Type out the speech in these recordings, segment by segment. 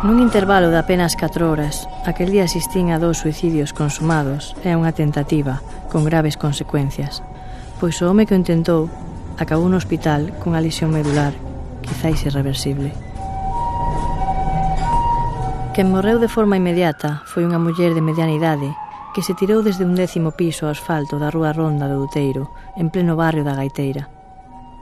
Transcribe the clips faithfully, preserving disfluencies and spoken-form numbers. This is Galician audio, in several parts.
Nun intervalo de apenas catro horas, aquel día asistín a dous suicidios consumados e a unha tentativa con graves consecuencias, pois o home que o intentou acabou no hospital cunha lesión medular, quizáis irreversible. Quen morreu de forma inmediata foi unha muller de mediana idade que se tirou desde un décimo piso ao asfalto da rúa Ronda do Outeiro, en pleno barrio da Gaiteira.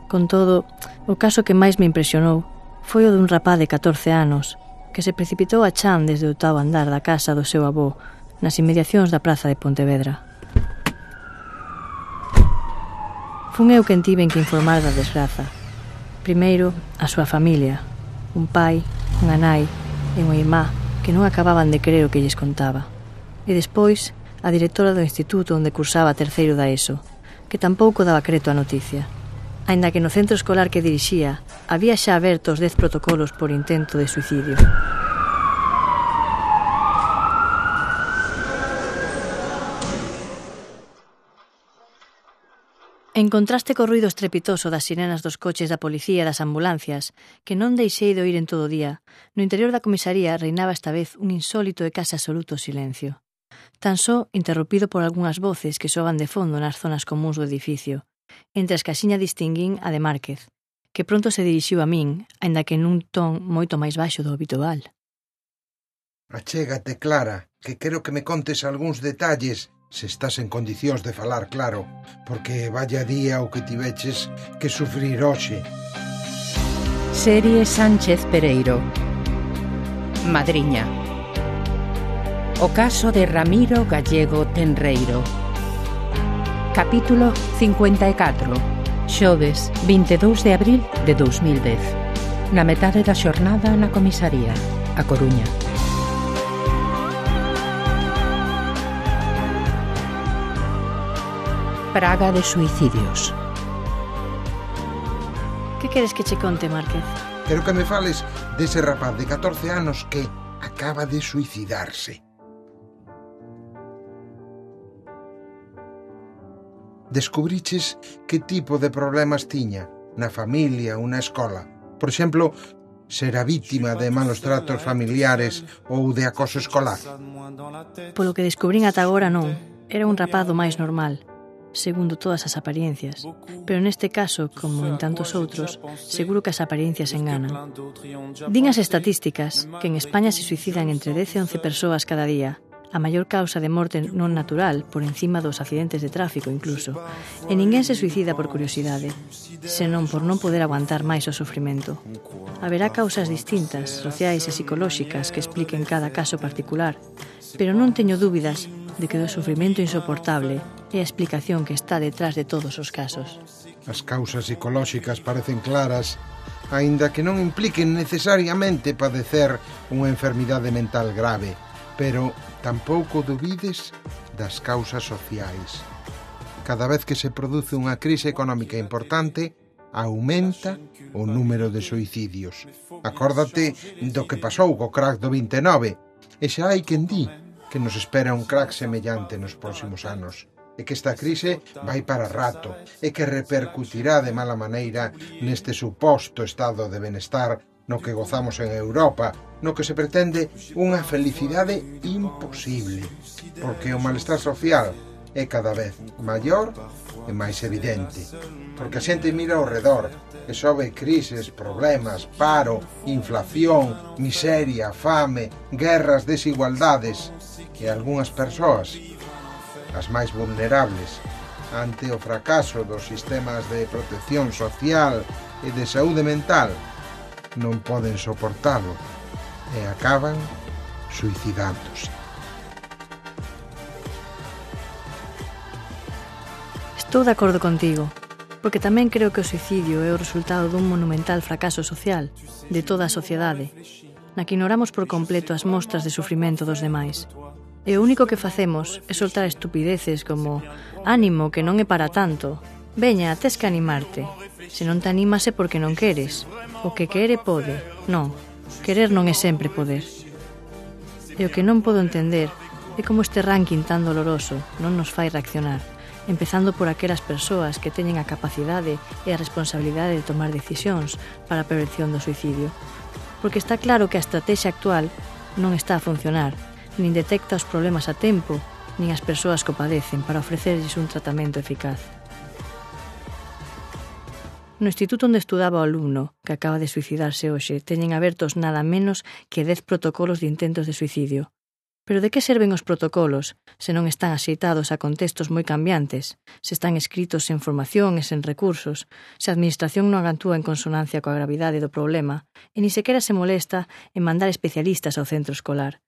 Con todo, o caso que máis me impresionou foi o dun rapaz de catorce anos que se precipitou a chan desde o oitavo andar da casa do seu avó nas inmediacións da praza de Pontevedra. Fun eu quen tiven que informar da desgraza. Primeiro, a súa familia, un pai, unha nai e unha irmá que non acababan de crer o que lles contaba. E despois, a directora do instituto onde cursaba terceiro da ESO, que tampouco daba creto á noticia. Aínda que no centro escolar que dirixía había xa abertos dez protocolos por intento de suicidio. En contraste co ruido estrepitoso das sirenas dos coches da policía e das ambulancias, que non deixei de oír en todo o día, no interior da comisaría reinaba esta vez un insólito e case absoluto silencio. Tan só interrompido por algunhas voces que soaban de fondo nas zonas comúns do edificio, entre as que axiña distinguín a de Márquez, que pronto se dirixiu a min, aínda que nun ton moito máis baixo do habitual. Achégate, Clara, que quero que me contes algúns detalles, se estás en condicións de falar claro, porque vaya día o que tiveches que sufrir hoxe. Serie Sánchez Pereiro. Madriña. O caso de Ramiro Gallego Tenreiro. Capítulo cincuenta e catro. Xoves, vinte e dous de abril de dous mil dez. Na metade da xornada na comisaría, A Coruña. Praga de suicidios. Que queres que che conte, Márquez? Quero que me fales dese rapaz de catorce anos que acaba de suicidarse. Descubriches que tipo de problemas tiña na familia ou na escola? Por exemplo, será vítima de malos tratos familiares ou de acoso escolar? Polo que descubrín ata agora non. Era un rapaz do máis normal, segundo todas as apariencias. Pero neste caso, como en tantos outros, seguro que as apariencias enganan. Din as estatísticas que en España se suicidan entre dez e once persoas cada día, a maior causa de morte non natural, por encima dos accidentes de tráfico incluso, e ninguén se suicida por curiosidade, senón por non poder aguantar máis o sofrimento. Haberá causas distintas, sociais e psicolóxicas, que expliquen cada caso particular, pero non teño dúbidas de que o sofrimento insoportable é a explicación que está detrás de todos os casos. As causas psicolóxicas parecen claras, aínda que non impliquen necesariamente padecer unha enfermidade mental grave, pero tampouco dubides das causas sociais. Cada vez que se produce unha crise económica importante, aumenta o número de suicidios. Acórdate do que pasou co crack do vinte e nove, e xa hai quen di que nos espera un crack semellante nos próximos anos, e que esta crise vai para rato, e que repercutirá de mala maneira neste suposto estado de benestar no que gozamos en Europa, no que se pretende unha felicidade imposible, porque o malestar social é cada vez maior e máis evidente, porque a xente mira ao redor e só ve crises, problemas, paro, inflación, miseria, fame, guerras, desigualdades, e algunhas persoas, as máis vulnerables, ante o fracaso dos sistemas de protección social e de saúde mental, non poden soportalo e acaban suicidándose. Estou de acordo contigo, porque tamén creo que o suicidio é o resultado dun monumental fracaso social de toda a sociedade, na que ignoramos por completo as mostras de sufrimento dos demais. E o único que facemos é soltar estupideces como «Ánimo, que non é para tanto», «Veña, tes que animarte», «Se non te animas é porque non queres», «O que quere pode». Non, querer non é sempre poder. E o que non podo entender é como este ranking tan doloroso non nos fai reaccionar, empezando por aquelas persoas que teñen a capacidade e a responsabilidade de tomar decisións para a prevención do suicidio. porque está claro que a estrategia actual non está a funcionar, nin detecta os problemas a tempo, nin as persoas que o padecen para ofrecerlles un tratamento eficaz. No instituto onde estudaba o alumno, que acaba de suicidarse hoxe, teñen abertos nada menos que dez protocolos de intentos de suicidio. Pero de que serven os protocolos se non están axeitados a contextos moi cambiantes, se están escritos en formación e sen recursos, se a administración non actúa en consonancia coa gravidade do problema e ni sequera se molesta en mandar especialistas ao centro escolar?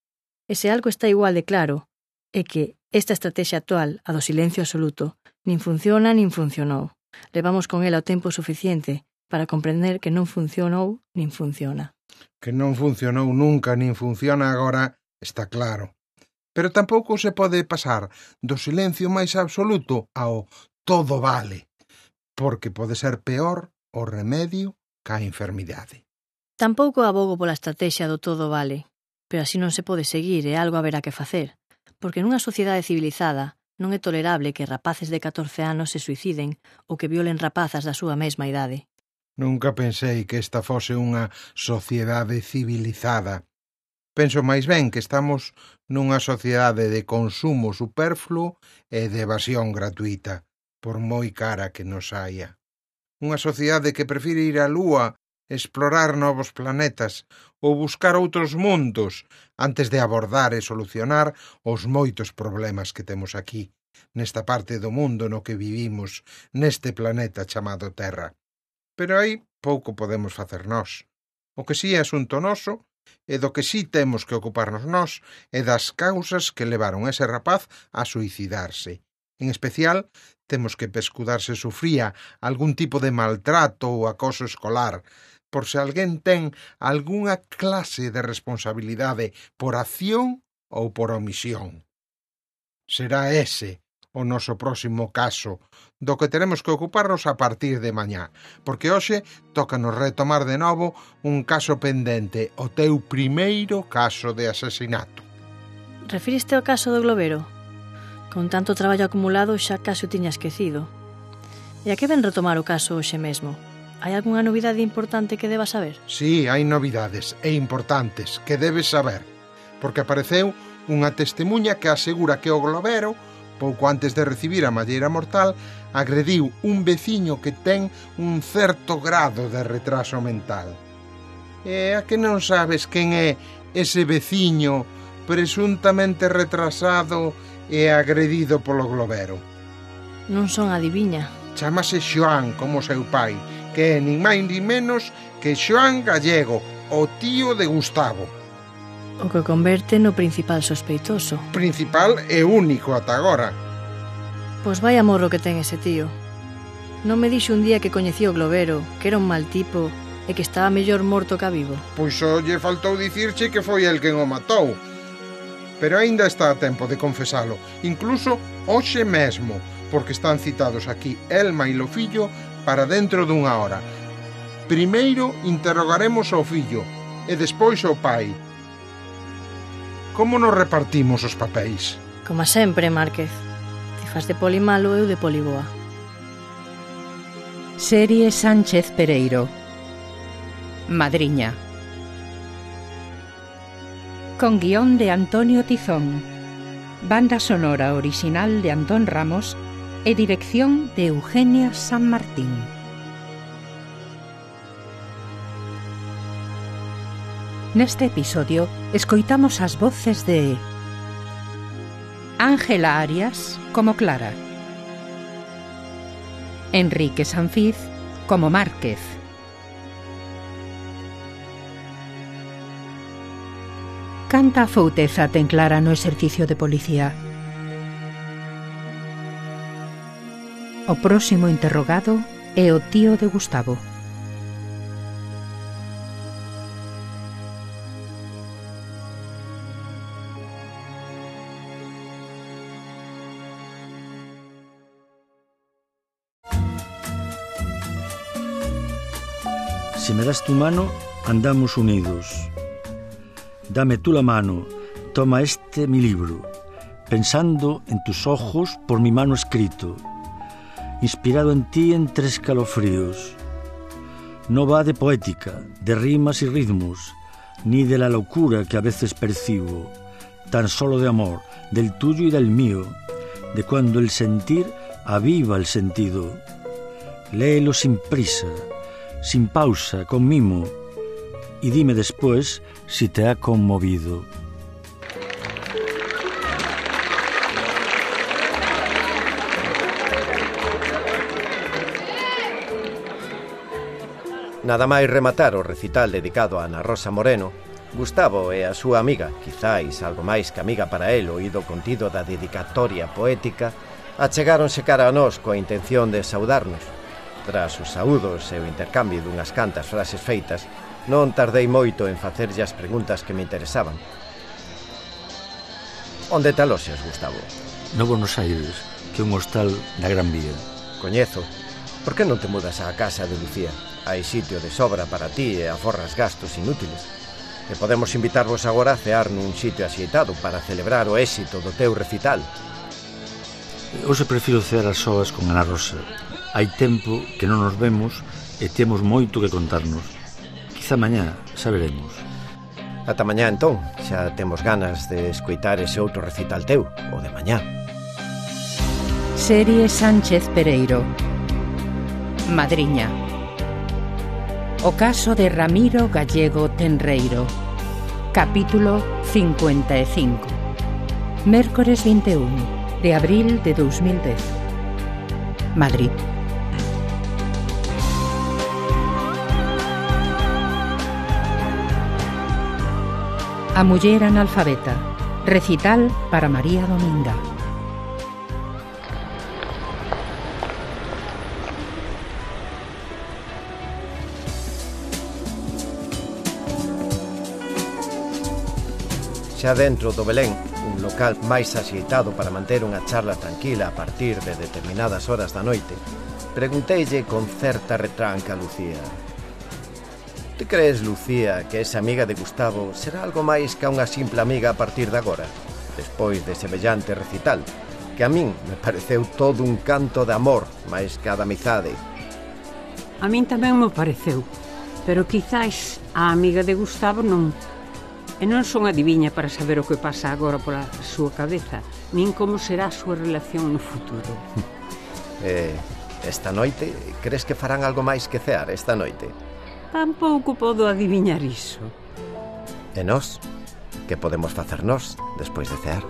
E se algo está igual de claro, é que esta estrategia actual, a do silencio absoluto, nin funciona nin funcionou. Levamos con ela o tempo suficiente para comprender que non funcionou nin funciona. Que non funcionou nunca nin funciona agora está claro. Pero tampouco se pode pasar do silencio máis absoluto ao todo vale, porque pode ser peor o remedio ca enfermidade. Tampouco abogo pola estrategia do todo vale, pero así non se pode seguir e algo haberá que facer, porque nunha sociedade civilizada non é tolerable que rapaces de catorce anos se suiciden ou que violen rapazas da súa mesma idade. Nunca pensei que esta fose unha sociedade civilizada. Penso máis ben que estamos nunha sociedade de consumo superfluo e de evasión gratuita, por moi cara que nos haia. Unha sociedade que prefire ir á lúa, explorar novos planetas ou buscar outros mundos antes de abordar e solucionar os moitos problemas que temos aquí, nesta parte do mundo no que vivimos, neste planeta chamado Terra. Pero aí pouco podemos facer nós. O que si é asunto noso, e do que si temos que ocuparnos nós, é das causas que levaron ese rapaz a suicidarse. En especial, temos que pescudar se sufría algún tipo de maltrato ou acoso escolar, por se alguén ten algunha clase de responsabilidade por acción ou por omisión. Será ese o noso próximo caso, do que teremos que ocuparnos a partir de mañá, porque hoxe tócanos retomar de novo un caso pendente, o teu primeiro caso de asesinato. Refiriste ao caso do globero? Con tanto traballo acumulado xa case o tiña esquecido. E a que ven retomar o caso hoxe mesmo? Hai algunha novidade importante que deba saber? Sí, hai novidades e importantes que debes saber, porque apareceu unha testemuña que asegura que o globero, pouco antes de recibir a malleira mortal, agrediu un veciño que ten un certo grado de retraso mental. E a que non sabes quen é ese veciño presuntamente retrasado e agredido polo globero? Non son adiviña. Chámase Xoán, como seu pai, que é nin máis nin menos que Xoán Gallego, o tío de Gustavo. O que converte no principal sospeitoso. Principal e único ata agora. Pois vai a morro que ten ese tío. Non me dixo un día que coñecía o globero, que era un mal tipo e que estaba mellor morto que vivo. Pois só lle faltou dicirche que foi el quen o matou. Pero aínda está a tempo de confesalo, incluso hoxe mesmo, porque están citados aquí Elma e o fillo para dentro dunha hora. Primeiro interrogaremos ao fillo e despois ao pai. Como nos repartimos os papéis? Como sempre, Márquez. Ti fas de poli malo e eu de poli boa. Serie Sánchez Pereiro. Madriña. Con guión de Antonio Tizón. Banda sonora original de Antón Ramos e dirección de Eugenia San Martín. Neste episodio escoitamos as voces de Ángela Arias como Clara, Enrique Sanfiz como Márquez, canta afouteza ten Clara no exercicio de policía. O próximo interrogado é o tío de Gustavo. Si me das tu mano, andamos unidos. Dame tú la mano, toma este mi libro, pensando en tus ojos por mi mano escrito, inspirado en ti entre escalofríos. No va de poética, de rimas y ritmos, ni de la locura que a veces percibo, tan solo de amor, del tuyo y del mío, de cuando el sentir aviva el sentido. Léelo sin prisa, sin pausa, con mimo, y dime después si te ha conmovido. Nada máis rematar o recital dedicado a Ana Rosa Moreno, Gustavo e a súa amiga, quizáis algo máis que amiga para el o ido contido da dedicatoria poética, achegáronse cara a nós coa intención de saudarnos. Tras os saúdos e o intercambio dunhas cantas frases feitas, non tardei moito en facerlle as preguntas que me interesaban. Onde te aloxas, Gustavo? No Buenos Aires, que é un hostal na Gran Vía. Coñezo. Por que non te mudas á casa de Lucía? Hai sitio de sobra para ti e aforras gastos inútiles. E podemos invitarvos agora a cear nun sitio axeitado para celebrar o éxito do teu recital. Hoxe prefiro cear as soas con Ana Rosa. Hai tempo que non nos vemos e temos moito que contarnos. Quizá mañá, xa veremos. Ata mañá, entón. Xa temos ganas de escoitar ese outro recital teu, o de mañá. Serie Sánchez Pereiro. Madriña. O caso de Ramiro Gallego Tenreiro. Capítulo cincuenta e cinco. Mércores vinte e un de abril de dos mil dez. Madrid. A muller analfabeta. Recital para María Dominga. Xa dentro do Belén, un local máis axeitado para manter unha charla tranquila a partir de determinadas horas da noite, pregunteille con certa retranca a Lucía: Ti crees, Lucía, que esa amiga de Gustavo será algo máis que unha simple amiga a partir de agora, despois de semellante recital, que a min me pareceu todo un canto de amor máis que a de amizade? A min tamén me pareceu, pero quizás a amiga de Gustavo non. E non son adiviña para saber o que pasa agora pola súa cabeza, nin como será a súa relación no futuro. Eh, esta noite, crees que farán algo máis que cear esta noite? Tampouco podo adiviñar iso. E nós? Que podemos facer nós despois de cear?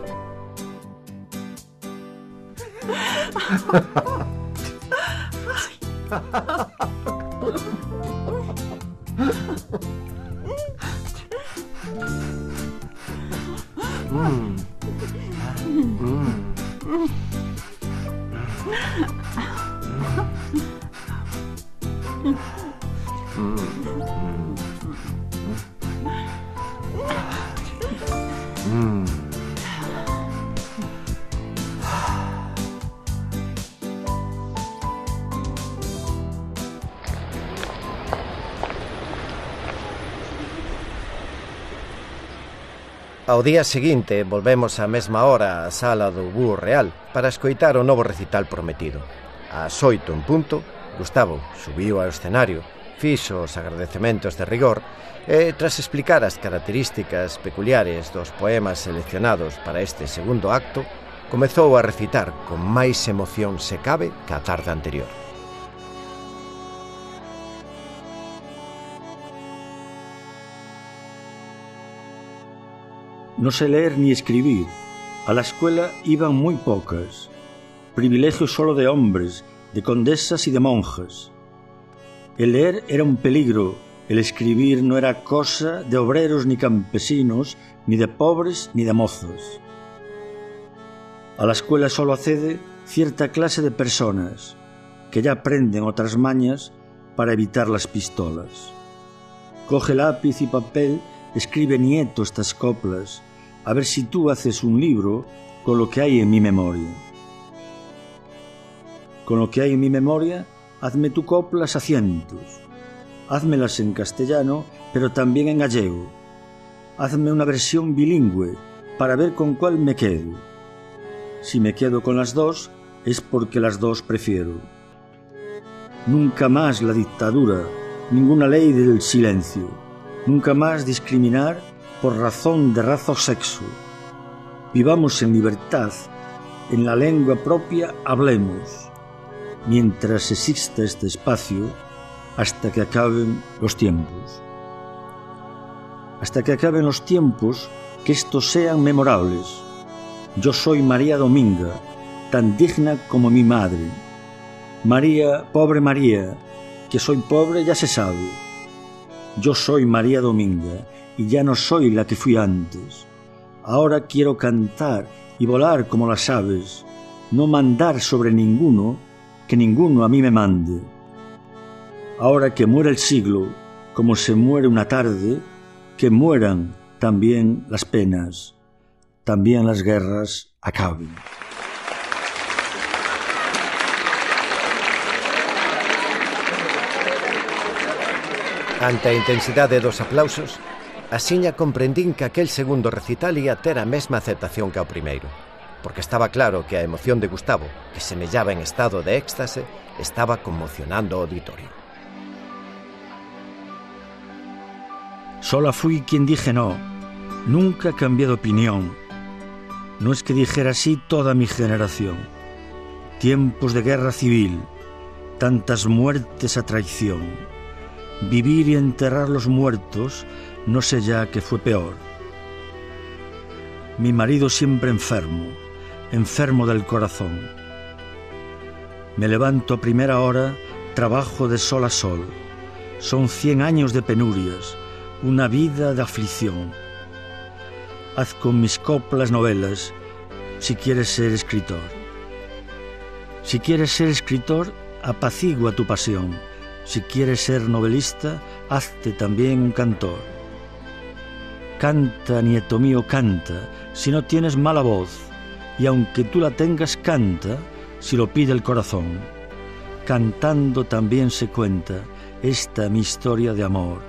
Mm. Mm. Mm. Ao día seguinte volvemos á mesma hora á sala do Búho Real para escoitar o novo recital prometido. Ás oito en punto, Gustavo subiu ao escenario, fixo os agradecementos de rigor e, tras explicar as características peculiares dos poemas seleccionados para este segundo acto, comezou a recitar con máis emoción se cabe que a tarde anterior. No sé leer ni escribir. A la escuela iban muy pocas. Privilegios solo de hombres, de condesas y de monjas. El leer era un peligro. El escribir no era cosa de obreros ni campesinos, ni de pobres ni de mozos. A la escuela solo accede cierta clase de personas que ya aprenden otras mañas para evitar las pistolas. Coge lápiz y papel, escribe nieto estas coplas, a ver si tú haces un libro con lo que hay en mi memoria. Con lo que hay en mi memoria, hazme tu coplas a cientos. Házmelas en castellano, pero también en gallego. Hazme una versión bilingüe para ver con cuál me quedo. Si me quedo con las dos, es porque las dos prefiero. Nunca más la dictadura, ninguna ley del silencio. Nunca más discriminar por razón de raza o sexo. Vivamos en libertad, en la lengua propia hablemos, mientras exista este espacio, hasta que acaben los tiempos. Hasta que acaben los tiempos, que estos sean memorables. Yo soy María Dominga, tan digna como mi madre. María, pobre María, que soy pobre ya se sabe. Yo soy María Dominga y ya no soy la que fui antes. Ahora quiero cantar y volar como las aves, no mandar sobre ninguno, que ninguno a mí me mande. Ahora que muere el siglo, como se muere una tarde, que mueran también las penas, también las guerras acaben. Ante a intensidade dos aplausos, axiña comprendín que aquel segundo recital ia ter a mesma aceptación que ao primeiro, porque estaba claro que a emoción de Gustavo, que semellaba en estado de éxtase, estaba conmocionando o auditorio. Sola fui quien dije no, nunca cambié de opinión. No es que dijera así toda mi generación. Tiempos de guerra civil, tantas muertes a traición. Vivir y enterrar los muertos, no sé ya qué fue peor. Mi marido siempre enfermo, enfermo del corazón. Me levanto a primera hora, trabajo de sol a sol. Son cien años de penurias, una vida de aflicción. Haz con mis coplas novelas, si quieres ser escritor. Si quieres ser escritor, apacigua tu pasión. Si quieres ser novelista, hazte también un cantor. Canta, nieto mío, canta, si no tienes mala voz, y aunque tú la tengas, canta, si lo pide el corazón. Cantando también se cuenta esta mi historia de amor,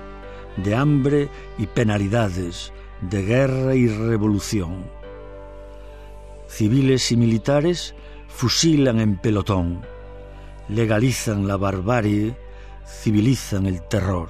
de hambre y penalidades, de guerra y revolución. Civiles y militares fusilan en pelotón, legalizan la barbarie, civilizan el terror.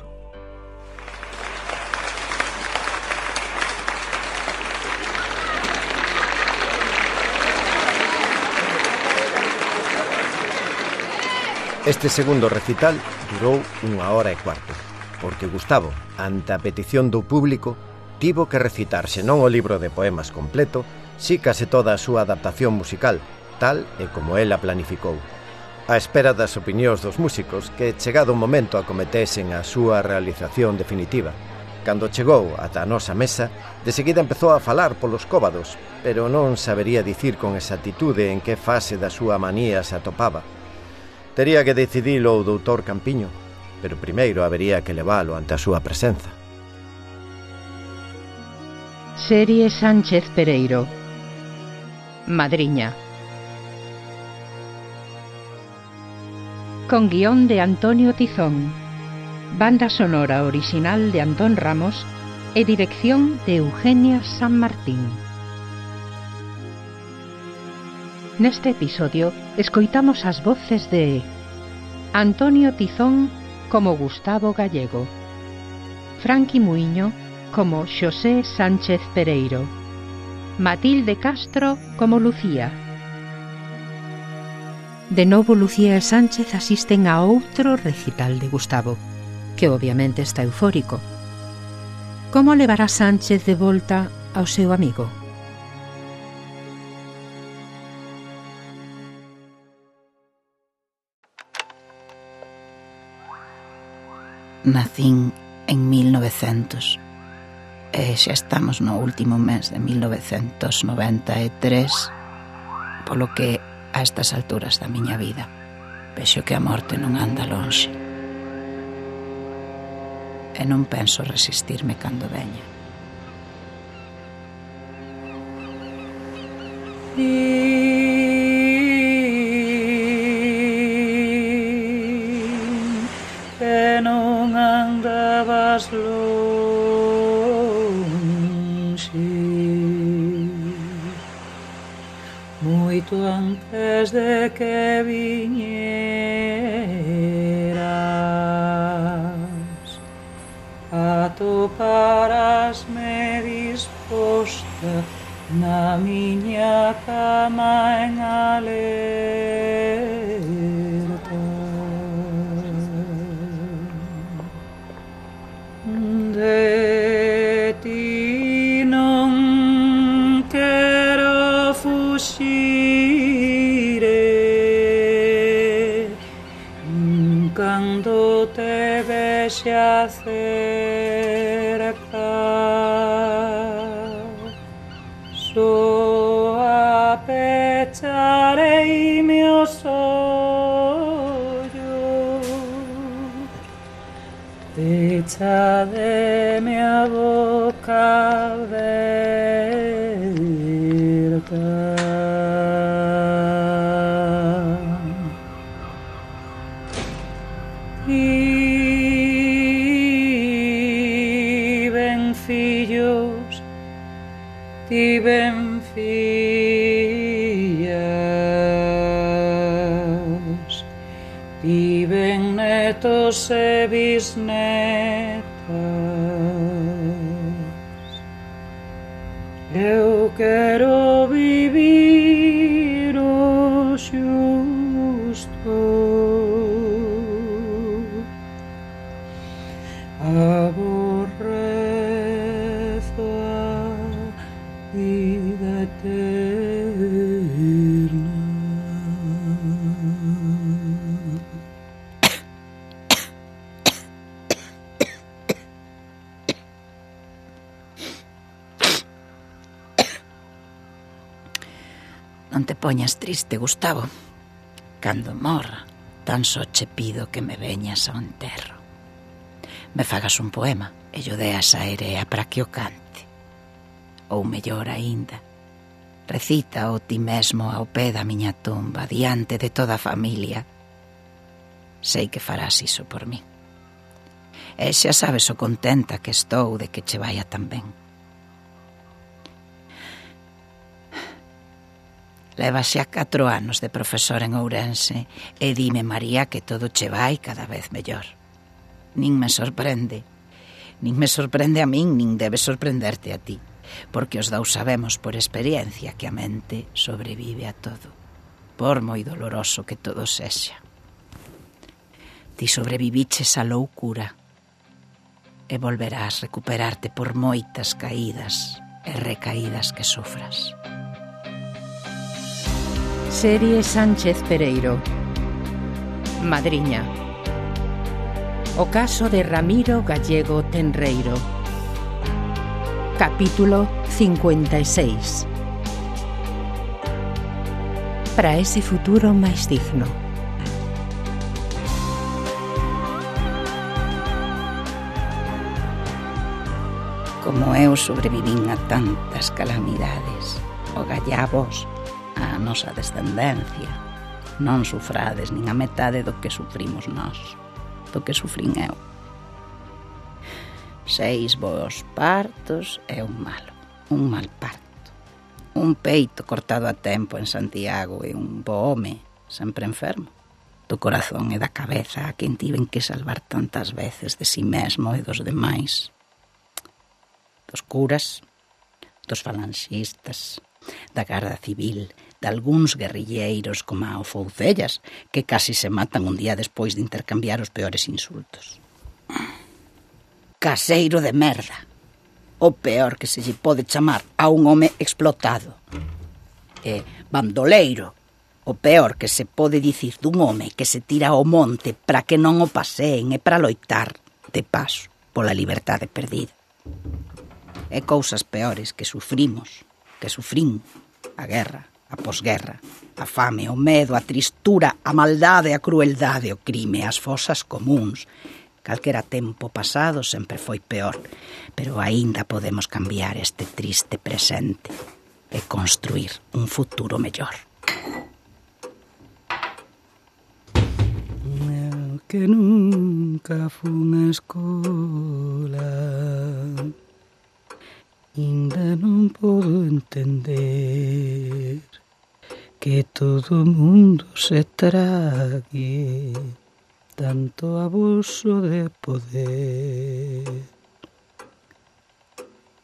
Este segundo recital durou unha hora e cuarto, porque Gustavo, ante a petición do público, tivo que recitar senón o libro de poemas completo, si case toda a súa adaptación musical, tal e como ela planificou, á espera das opinións dos músicos que, chegado o momento, acometesen a súa realización definitiva. Cando chegou ata a nosa mesa, de seguida empezou a falar polos cóbados, pero non sabería dicir con exactitude en que fase da súa manía se atopaba. Tería que decidilo o doutor Campiño, pero primeiro habería que leválo ante a súa presenza. Serie Sánchez Pereiro. Madriña. Con guión de Antonio Tizón, banda sonora original de Antón Ramos e dirección de Eugenia San Martín. Neste episodio escoitamos as voces de Antonio Tizón como Gustavo Gallego, Franqui Muiño como Xosé Sánchez Pereiro, Matilde Castro como Lucía. De novo Lucía e Sánchez asisten a outro recital de Gustavo, que obviamente está eufórico. Como levará Sánchez de volta ao seu amigo? Nacín en mil novecentos e xa estamos no último mes de mil novecentos noventa e tres, polo que a estas alturas da miña vida vexo que a morte non anda lonxe e non penso resistirme cando veña. Que non andabas lonxe, moito antes de que viñeras a topar a cama en alerta. De ti non quero fuxire, cando te vexa cerca, só apecharei meus ollos, pechademe a boca aberta. Tiven fillos, tiven fillas, tiven netos e bisnetas. Eu quero vivir o xusto, aborrezo a vida eterna. Non te poñas triste, Gustavo. Cando morra, tan só che pido que me veñas ao enterro. Me fagas un poema e yo deas a Erea para que o cante. Ou mellor aínda, recita o ti mesmo ao pé da miña tumba, diante de toda a familia. Sei que farás iso por mí. E xa sabes o contenta que estou de que che vaya tan ben. Leva xa catro anos de profesor en Ourense e dime, María, que todo che vai cada vez mellor. Nin me sorprende, nin me sorprende a min, nin debe sorprenderte a ti, porque os dous sabemos por experiencia que a mente sobrevive a todo, por moi doloroso que todo sexa. Ti sobreviviches a loucura e volverás recuperarte por moitas caídas e recaídas que sufras. Serie Sánchez Pereiro. Madriña. O caso de Ramiro Gallego Tenreiro. Capítulo cincuenta y seis. Para ese futuro máis digno. Como eu sobrevivín a tantas calamidades, o gallabos, a nosa descendencia, non sufrades nin a metade do que sufrimos nós, do que sufrín eu. Seis bons partos e un malo, un mal parto, un peito cortado a tempo en Santiago e un bo home sempre enfermo, do corazón e da cabeza a quen tiven que salvar tantas veces de si mesmo e dos demais, dos curas, dos falanxistas, da Garda Civil, de algúns guerrilleiros como o Foucellas, que casi se matan un día despois de intercambiar os peores insultos. Caseiro de merda, o peor que se lle pode chamar a un home explotado. E bandoleiro, o peor que se pode dicir dun home que se tira ao monte para que non o paseen e para loitar, de paso, pola liberdade perdida. E cousas peores que sufrimos, que sufrín, a guerra, a posguerra, a fame, o medo, a tristura, a maldade, a crueldade, o crime, as fosas comúns. Calquera tempo pasado sempre foi peor, pero aínda podemos cambiar este triste presente e construir un futuro mellor. Eu que nunca fun a escola, ainda non podo entender que todo o mundo se trague tanto abuso de poder.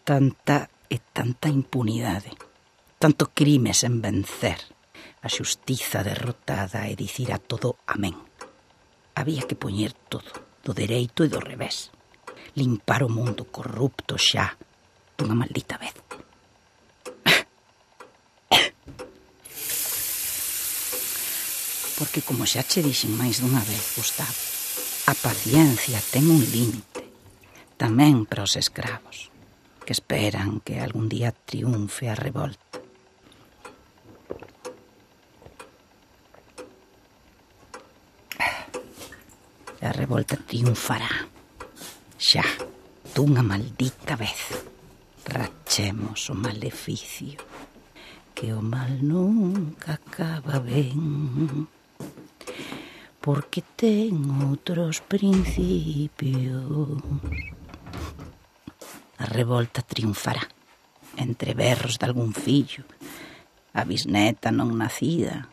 Tanta e tanta impunidade, tanto crime sen vencer, a xustiza derrotada e dicir a todo amén. Había que poñer todo, do dereito e do revés. Limpar o mundo corrupto xa, dunha maldita vez. Porque, como xa che dixen máis dunha vez, Gustavo, a paciencia ten un límite, tamén para os escravos, que esperan que algún día triunfe a revolta. A revolta triunfará, xa, dunha maldita vez. Rachemos o maleficio, que o mal nunca acaba ben, porque ten outros principios. A revolta triunfará, entre berros de algún fillo, a bisneta non nacida,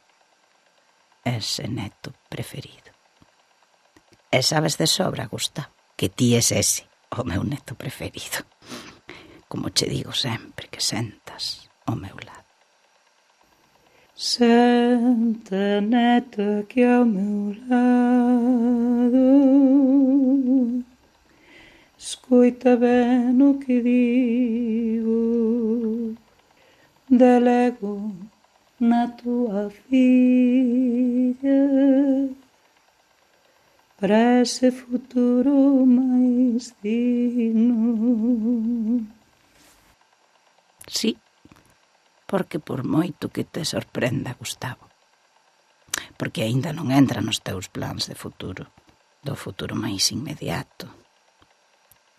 ese neto preferido. E sabes de sobra, Gustavo, que ti es ese, o meu neto preferido. Como che digo sempre que sentas ao meu lado. Senta, neta, aquí ao meu lado. Escoita ben o que digo. Delego na tua filha para ese futuro máis digno. Sí, porque por moito que te sorprenda, Gustavo, porque aínda non entra nos teus plans de futuro, do futuro máis inmediato,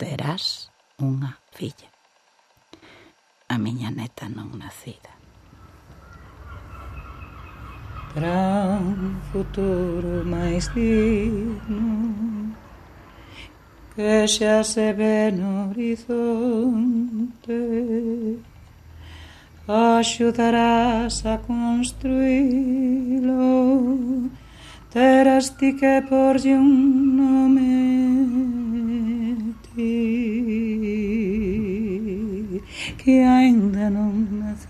terás unha filla, a miña neta non nacida. Para un futuro máis digno que xa se ve no horizonte, axudarás a construílo, terás ti que porlle un nome ti, que aínda non naciches,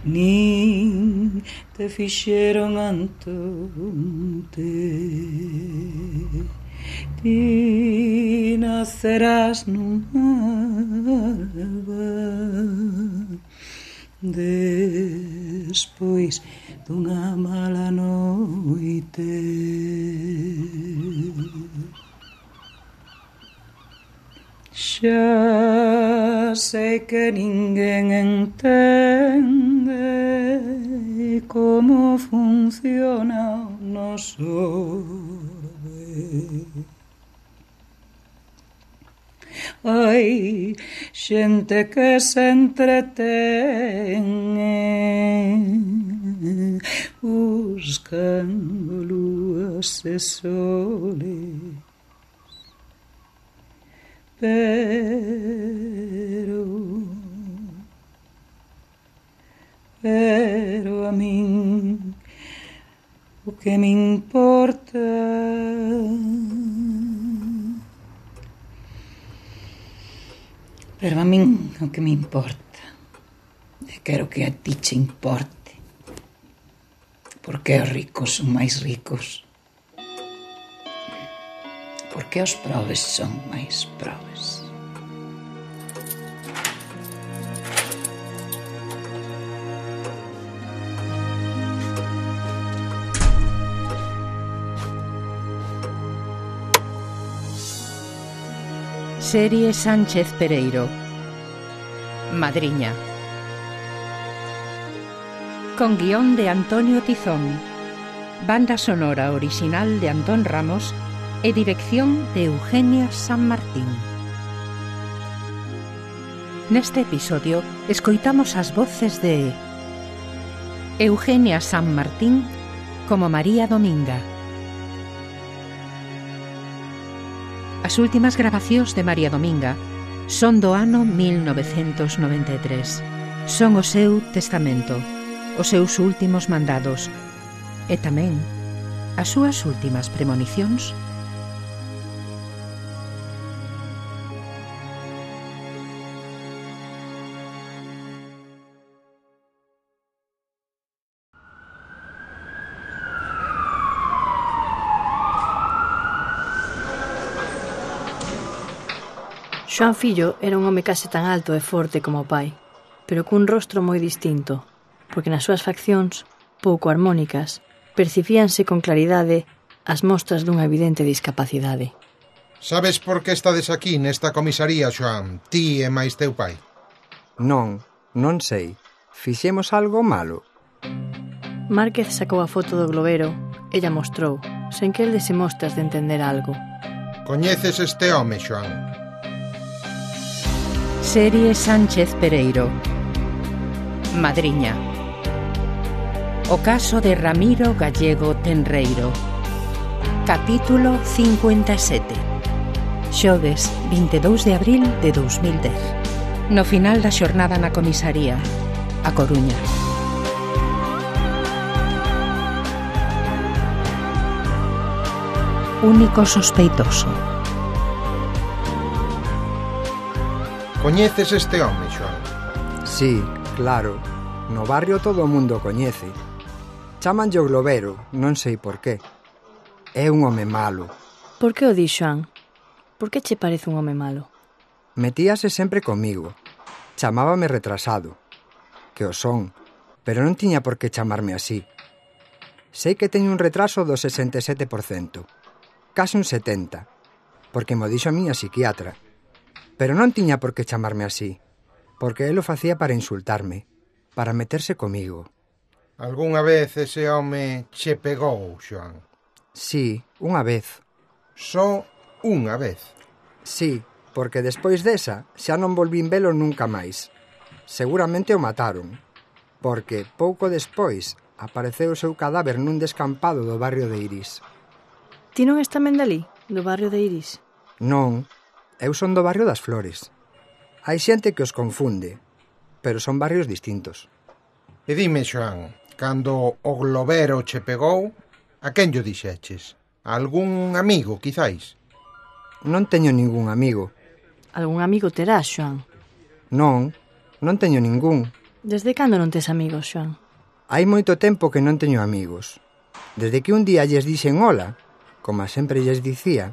nin te fixeron antonte. Ti nacerás nunha alba, despois dunha mala noite. Xa sei que ninguén entende como funciona o noso orbe. Hai xente que se entretén buscando luas e soles, pero pero a min o que me importa pero a min o que me importa e quero que a ti che importe, porque os ricos son máis ricos, porque os probes son máis probes. Serie Sánchez Pereiro. Madriña. Con guión de Antonio Tizón, banda sonora original de Antón Ramos e dirección de Eugenia San Martín. Neste episodio escoitamos as voces de Eugenia San Martín como María Dominga. As últimas grabacións de María Dominga son do ano mil novecentos noventa e tres. Son o seu testamento, os seus últimos mandados e tamén as súas últimas premonicións. Xoan fillo era un home case tan alto e forte como o pai, pero cun rostro moi distinto, porque nas súas faccións, pouco armónicas, percibíanse con claridade as mostras dunha evidente discapacidade. Sabes por que estades aquí nesta comisaría, Xoan, ti e máis teu pai? Non, non sei. Fixemos algo malo. Márquez sacou a foto do globero e lla mostrou, sen que el dese mostras de entender algo. Coñeces este home, Xoan? Serie Sánchez Pereiro. Madriña. O caso de Ramiro Gallego Tenreiro. Capítulo cincuenta e sete. Xoves, vinte e dous de abril de dous mil dez. No final da xornada na comisaría, A Coruña. Único sospeitoso. Coñeces este home, Xoan? Sí, claro. No barrio todo o mundo coñece. Chámanlle o globero, non sei por qué. É un home malo. Por que o di, Xoan? Por que che parece un home malo? Metíase sempre comigo. Chamábame retrasado. Que o son, pero non tiña por que chamarme así. Sei que teño un retraso do sesenta e sete por cento. Case un setenta, porque mo dixo a miña psiquiatra. Pero non tiña por que chamarme así, porque el o facía para insultarme, para meterse comigo. Algúnha vez ese home che pegou, Xoan? Sí, unha vez. Só unha vez? Sí, porque despois desa xa non volvín velo nunca máis. Seguramente o mataron, porque pouco despois apareceu o seu cadáver nun descampado do barrio de Iris. Ti non es tamén dali, do barrio de Iris? Non, eu son do barrio das Flores. Hai xente que os confunde, pero son barrios distintos. E dime, Xoan, cando o globero che pegou, a quen llo dixeches? A algún amigo, quizáis? Non teño ningún amigo. Algún amigo terás, Xoan? Non, non teño ningún. Desde cando non tes amigos, Xoan? Hai moito tempo que non teño amigos. Desde que un día lles dixen hola, como sempre lles dicía,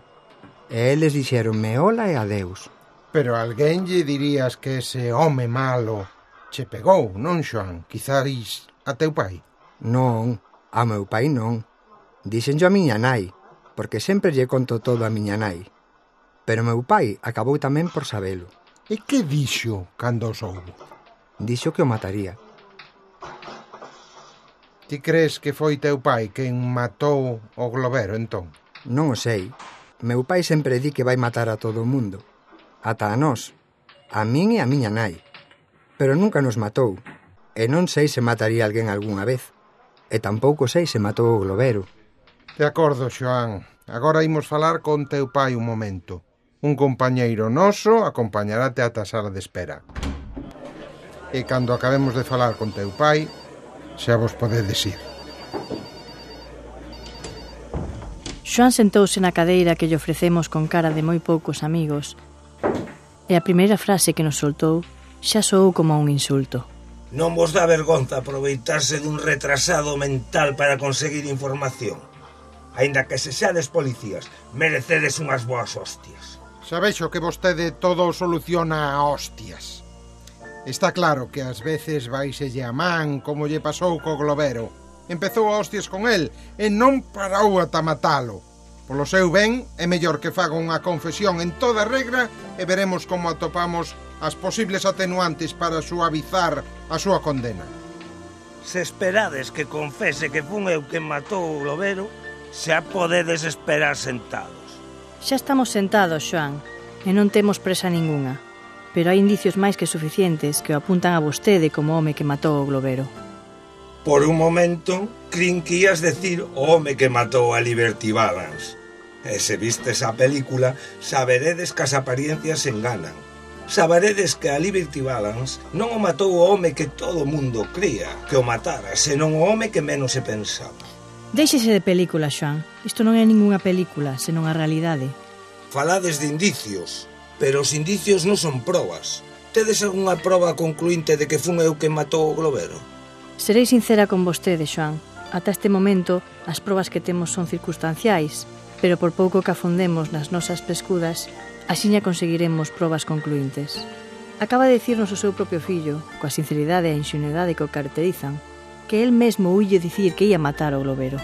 e eles dixeronme hola e adeus. Pero alguén lle dirías que ese home malo che pegou, non, Xoan? Quizáis a teu pai? Non, a meu pai non. Dixenllo a miña nai, porque sempre lle conto todo a miña nai. Pero meu pai acabou tamén por sabelo. E que dixo cando o soubo? Dixo que o mataría. Ti crees que foi teu pai quen matou o globero, entón? Non o sei. Meu pai sempre di que vai matar a todo o mundo. Ata a nós. A min e a miña nai. Pero nunca nos matou. E non sei se mataría alguén algunha vez. E tampouco sei se matou o globero. De acordo, Xoan. Agora imos falar con teu pai un momento. Un compañeiro noso acompañarate ata a sala de espera. E cando acabemos de falar con teu pai, xa vos podedes ir. Xoan sentouse na cadeira que lle ofrecemos con cara de moi poucos amigos, e a primeira frase que nos soltou xa soou como un insulto. Non vos dá vergonza aproveitarse dun retrasado mental para conseguir información? Aínda que se xades policías, merecedes unhas boas hostias. Xa vexo que vostede todo o soluciona a hostias. Está claro que ás veces vaiselle a man como lle pasou co globero. Empezou a hostias con el e non parou ata matalo. Polo seu ben, é mellor que faga unha confesión en toda regra e veremos como atopamos as posibles atenuantes para suavizar a súa condena. Se esperades que confese que fun eu quen matou o globero, xa podedes esperar sentados. Xa estamos sentados, Xoan, e non temos presa ningunha. Pero hai indicios máis que suficientes que o apuntan a vostede como home que matou o globero. Por un momento, crin que ías decir o home que matou a Liberty Balance. E se vistes a película, saberedes que as apariencias enganan. Saberedes que a Liberty Balance non o matou o home que todo o mundo cría que o matara, senón o home que menos se pensaba. Déixese de película, Xoan. Isto non é ningunha película, senón a realidade. Falades de indicios, pero os indicios non son probas. Tedes algunha proba concluinte de que fun eu quen matou o globero? Serei sincera con vostede, Xoan. Ata este momento, as probas que temos son circunstanciais, pero por pouco que afondemos nas nosas pescudas, Axiña conseguiremos probas concluíntes. Acaba de dicirnos o seu propio fillo, coa sinceridade e a inxenuidade que o caracterizan, que el mesmo uille dicir que ia matar ao globero.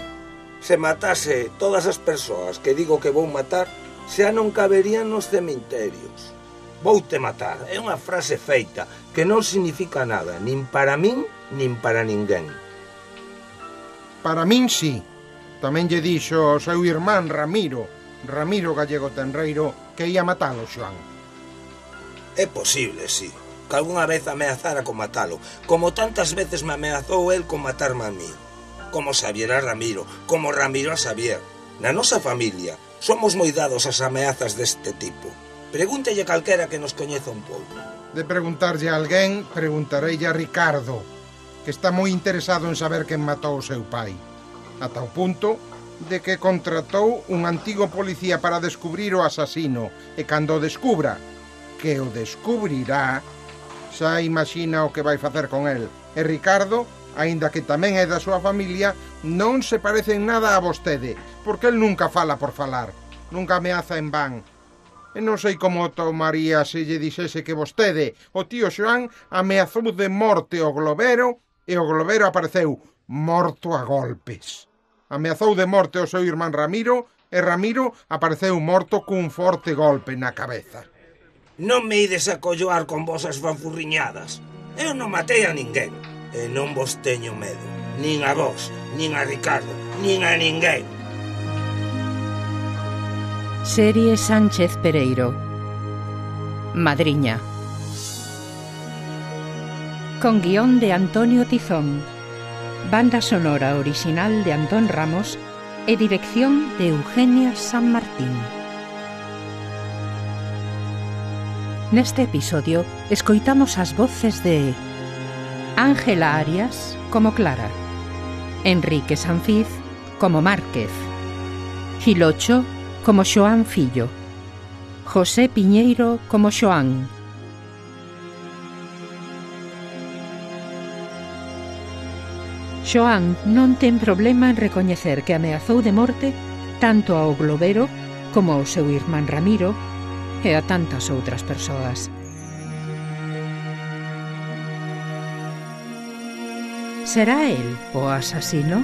Se matase todas as persoas que digo que vou matar, xa non caberían nos cemiterios. Voute matar é unha frase feita que non significa nada, nin para min, nin para ninguén. Para min, sí. Tamén lle dixo o seu irmán Ramiro, Ramiro Gallego Tenreiro, que ia matalo, Xoán. É posible, sí, que algunha vez ameazara con matalo, como tantas veces me ameazou el con matarme a mí. Como Xavier a Ramiro, como Ramiro a Xavier. Na nosa familia somos moi dados ás ameazas deste tipo. Pregúntelle calquera que nos coñeza un pouco. De preguntarlle a alguén, preguntareille a Ricardo, que está moi interesado en saber quen matou o seu pai. Ata o punto de que contratou un antigo policía para descubrir o asasino, e cando o descubra, que o descubrirá, xa imagina o que vai facer con el. E Ricardo, aínda que tamén é da súa familia, non se parece en nada a vostede, porque el nunca fala por falar, nunca ameaza en van. E non sei como tomaría se lle dixese que vostede, o tío Xoán, ameazou de morte o globero e o globero apareceu morto a golpes. Ameazou de morte o seu irmán Ramiro e Ramiro apareceu morto cun forte golpe na cabeza. Non me ides a colloar con vosas fanfurriñadas. Eu non matei a ninguén e non vos teño medo. Nin a vos, nin a Ricardo, nin a ninguén. Serie Sánchez Pereiro. Madriña. Con guión de Antonio Tizón. Banda sonora original de Antón Ramos e dirección de Eugenia San Martín. Neste episodio escoitamos as voces de Ángela Arias como Clara, Enrique Sanfiz como Márquez, Gilocho como Xoán Fillo, José Piñeiro como Xoán, Xoán non ten problema en recoñecer que ameazou de morte tanto ao globero como ao seu irmán Ramiro e a tantas outras persoas. Será el o asasino?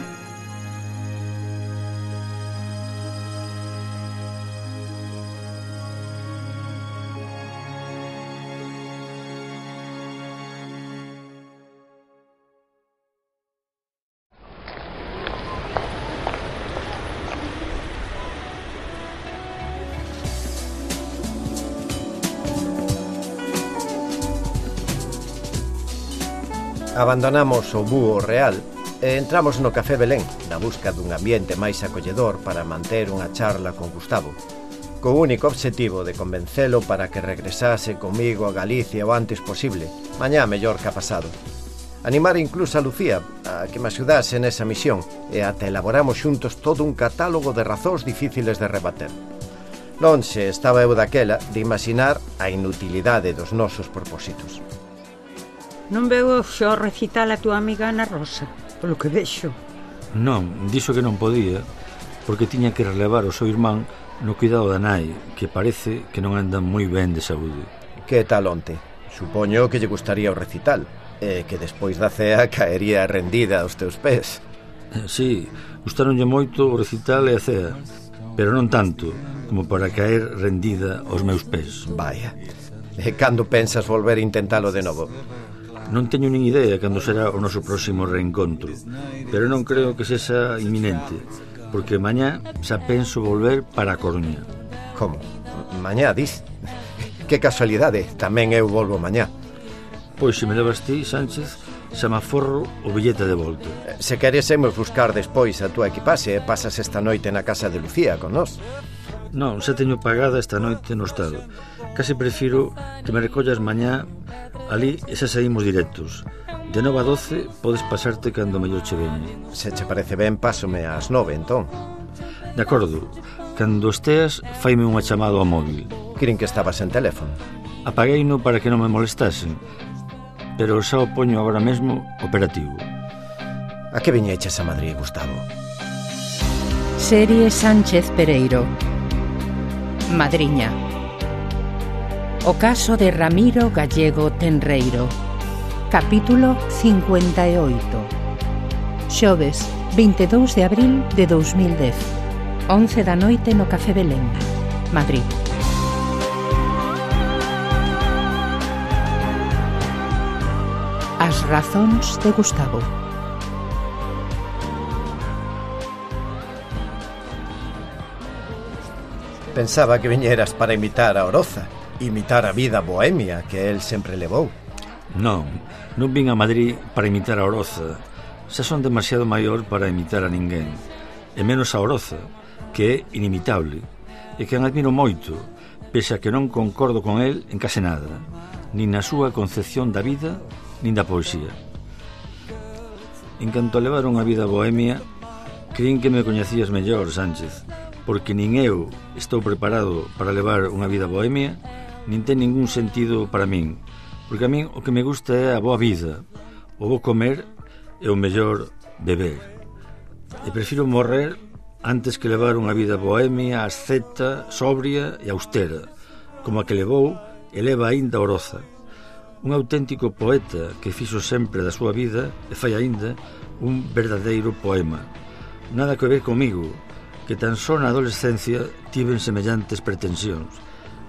Abandonamos o Búho Real e entramos no Café Belén na busca dun ambiente máis acolledor para manter unha charla con Gustavo, co único obxectivo de convencelo para que regresase comigo a Galicia o antes posible, mañá mellor que ha pasado. Animar incluso a Lucía a que me axudase nesa misión e ata elaboramos xuntos todo un catálogo de razóns difíciles de rebater. Lonxe estaba eu daquela de imaginar a inutilidade dos nosos propósitos. Non veo xo recital a túa amiga Ana Rosa, polo que vexo. Non, dixo que non podía, porque tiña que relevar o seu irmán no cuidado da nai, que parece que non anda moi ben de saúde. Que tal onte? Supoño que lle gustaría o recital, e que despois da cea caería rendida aos teus pés. Sí, gustaronlle moito o recital e a cea, pero non tanto como para caer rendida aos meus pés. Vaya, e cando pensas volver a intentalo de novo? Non teño nin idea cando será o noso próximo reencontro, pero non creo que sexa inminente, porque mañá xa penso volver para a Coruña. Como? Mañá, dis? Que casualidade, tamén eu volvo mañá. Pois se me levas ti, Sánchez, xa me aforro o billete de volta. Se queresemos buscar despois a túa equipaxe e pasas esta noite na casa de Lucía con nós. Non, xa teño pagada esta noite no estado. Casi prefiro que me recollas mañá ali e xa saímos directos. De nove a doce podes pasarte cando mellor che veñe. Se che parece ben, pásome ás nove, entón. De acordo. Cando esteas, faime unha chamada ao móvil. Crin que estabas en teléfono. Apagueino para que non me molestasen, pero xa o poño agora mesmo operativo. A que viñeches a Madrid, Gustavo? Serie Sánchez Pereiro. Madriña. O caso de Ramiro Gallego Tenreiro. Capítulo cincuenta e oito. Xoves, vinte e dous de abril de dous mil dez. once da noite no Café Belén, Madrid. As razóns de Gustavo. Pensaba que viñeras para imitar a Oroza, imitar a vida bohemia que el sempre levou. Non, non vin a Madrid para imitar a Oroza. Xa son demasiado maior para imitar a ninguén. E menos a Oroza, que é inimitable, e que admiro moito, pese a que non concordo con el en case nada, nin na súa concepción da vida, nin da poesía. En canto a levar unha vida bohemia, creín que me coñecías mellor, Sánchez, porque nin eu estou preparado para levar unha vida bohemia, nin ten ningún sentido para min, porque a min o que me gusta é a boa vida, o bo comer e o mellor beber. E prefiro morrer antes que levar unha vida bohemia, asceta, sobria e austera, como a que levou e leva aínda Oroza. Un auténtico poeta que fixo sempre da súa vida e fai aínda un verdadeiro poema. Nada que ver comigo, que tan só na adolescencia tiven semellantes pretensións.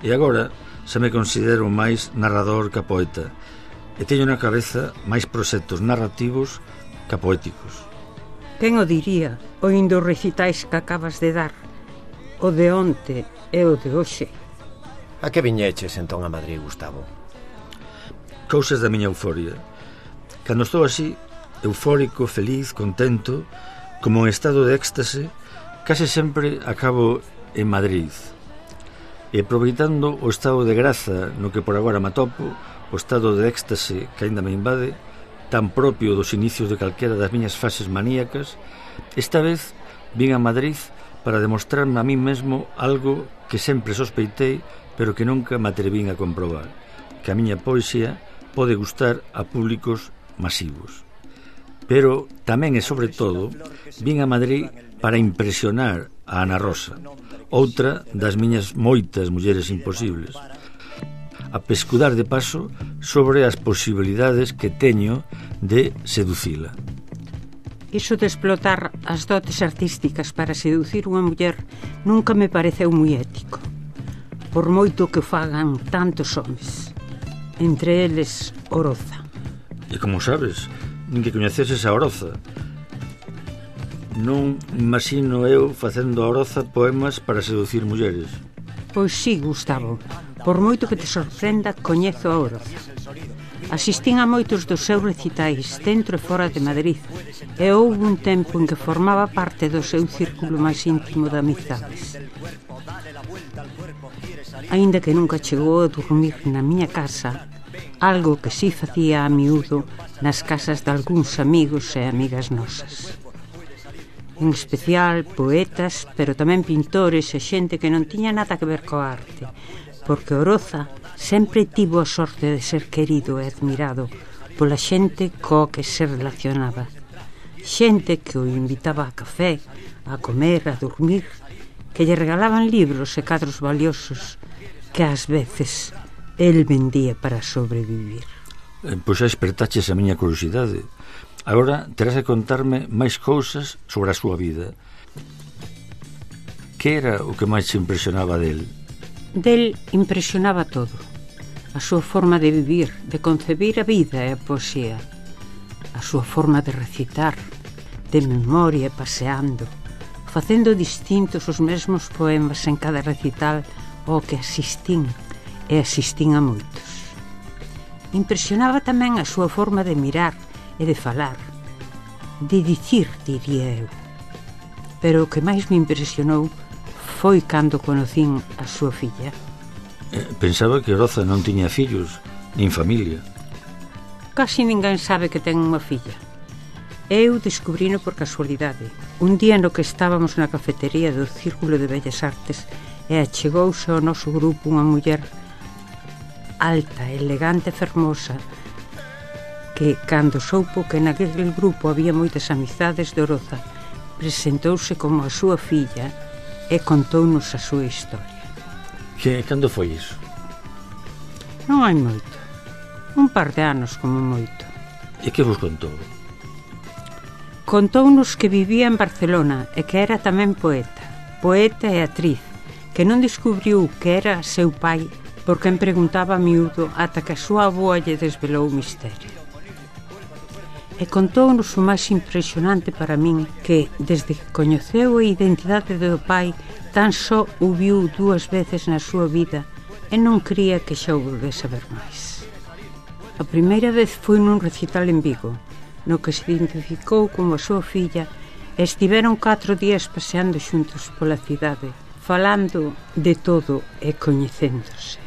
E agora xa me considero máis narrador que poeta, e teño na cabeza máis proxectos narrativos que poéticos. Quen o diría, oindo os recitais que acabas de dar, o de onte e o de hoxe? A que viñeches entón a Madrid, Gustavo? Cousas da miña euforia. Cando estou así, eufórico, feliz, contento, como en estado de éxtase, case sempre acabo en Madrid. E aproveitando o estado de graza no que por agora me atopo, o estado de éxtase que aínda me invade, tan propio dos inicios de calquera das miñas fases maníacas, esta vez vin a Madrid para demostrarme a mí mesmo algo que sempre sospeitei, pero que nunca me atrevín a comprobar, que a miña poesía pode gustar a públicos masivos. Pero tamén e sobre todo vin a Madrid para impresionar a Ana Rosa, outra das miñas moitas mulleres imposibles, a pescudar de paso sobre as posibilidades que teño de seducila. Iso de explotar as dotes artísticas para seducir unha muller nunca me pareceu moi ético, por moito que fagan tantos homes, entre eles Oroza. E como sabes, nin que coñeceses a Oroza. Non imagino eu facendo a Oroza poemas para seducir mulleres. Pois sí, Gustavo, por moito que te sorprenda, coñezo a Oroza. Asistín a moitos dos seus recitais dentro e fora de Madrid, e houve un tempo en que formaba parte do seu círculo máis íntimo de amizades. Aínda que nunca chegou a dormir na miña casa, algo que si facía a miúdo nas casas de algúns amigos e amigas nosas. En especial poetas, pero tamén pintores e xente que non tiña nada que ver coa arte, porque Oroza sempre tivo a sorte de ser querido e admirado pola xente coa que se relacionaba. Xente que o invitaba a café, a comer, a dormir, que lle regalaban libros e cadros valiosos que ás veces el vendía para sobrevivir. Eh, pois xa espertaches a miña curiosidade. Agora terás que contarme máis cousas sobre a súa vida. Que era o que máis te impresionaba del? Del impresionaba todo. A súa forma de vivir, de concebir a vida e a poesía. A súa forma de recitar, de memoria paseando, facendo distintos os mesmos poemas en cada recital ao que asistín, e asistín a moitos. Impresionaba tamén a súa forma de mirar e de falar, de dicir, diría eu. Pero o que máis me impresionou foi cando conocín a súa filla. Eh, pensaba que Oroza non tiña fillos, nin familia. Casi ninguén sabe que ten unha filla. Eu descubrino por casualidade, un día no que estábamos na cafetería do Círculo de Bellas Artes e achegouse ao noso grupo unha muller alta, elegante e fermosa, que, cando soupo que naquele grupo había moitas amizades de Oroza, presentouse como a súa filla e contounos a súa historia. Que, cando foi iso? Non hai moito. Un par de anos como moito. E que vos contou? Contounos que vivía en Barcelona e que era tamén poeta. Poeta e actriz, que non descubriu que era seu pai porque en preguntaba a miúdo ata que a súa avoa lle desvelou o misterio. E contounos o máis impresionante para min, que desde que coñeceu a identidade do pai tan só o viu dúas veces na súa vida e non cría que xa o volvese a ver máis. A primeira vez foi nun recital en Vigo, no que se identificou como a súa filla e estiveron catro días paseando xuntos pola cidade, falando de todo e coñecéndose.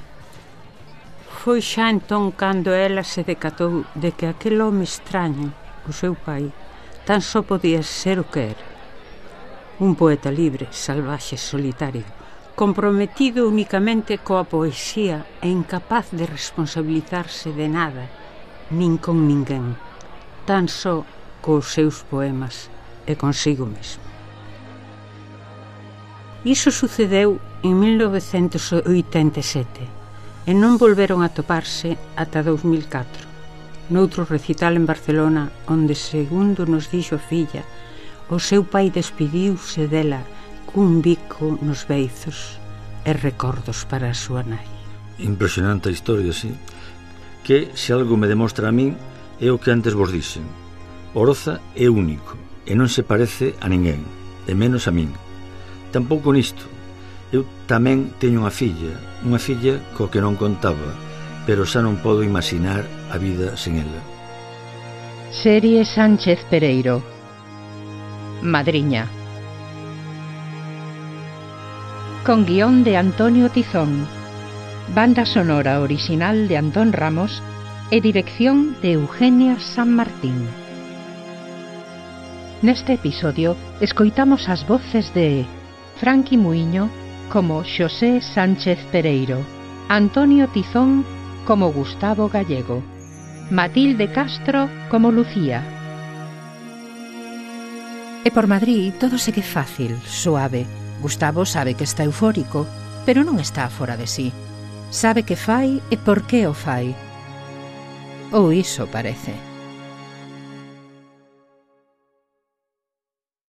Foi xa entón cando ela se decatou de que aquel home extraño, o seu pai, tan só podía ser o que era. Un poeta libre, salvaxe, solitario, comprometido únicamente coa poesía e incapaz de responsabilizarse de nada, nin con ninguén, tan só cos seus poemas e consigo mesmo. Iso sucedeu en mil novecentos oitenta e sete e non volveron a toparse ata dous mil catro, noutro recital en Barcelona onde, segundo nos dixo a filla, o seu pai despediuse dela cun bico nos beizos e recordos para a súa nai. Impresionante a historia, sí. Que, se algo me demostra a min, é o que antes vos dixen. Oroza é único e non se parece a ninguén, e menos a min. Tampouco nisto. Eu tamén teño unha filla, unha filla co que non contaba, pero xa non podo imaginar a vida sen ela. Serie Sánchez Pereiro. Madriña. Con guión de Antonio Tizón, banda sonora original de Antón Ramos e dirección de Eugenia San Martín. Neste episodio escoitamos as voces de Franqui Muiño como Xosé Sánchez Pereiro, Antonio Tizón como Gustavo Gallego, Matilde Castro como Lucía. E por Madrid todo segue fácil, suave. Gustavo sabe que está eufórico, pero non está fora de sí. Sabe que fai e por que o fai. Ou iso parece.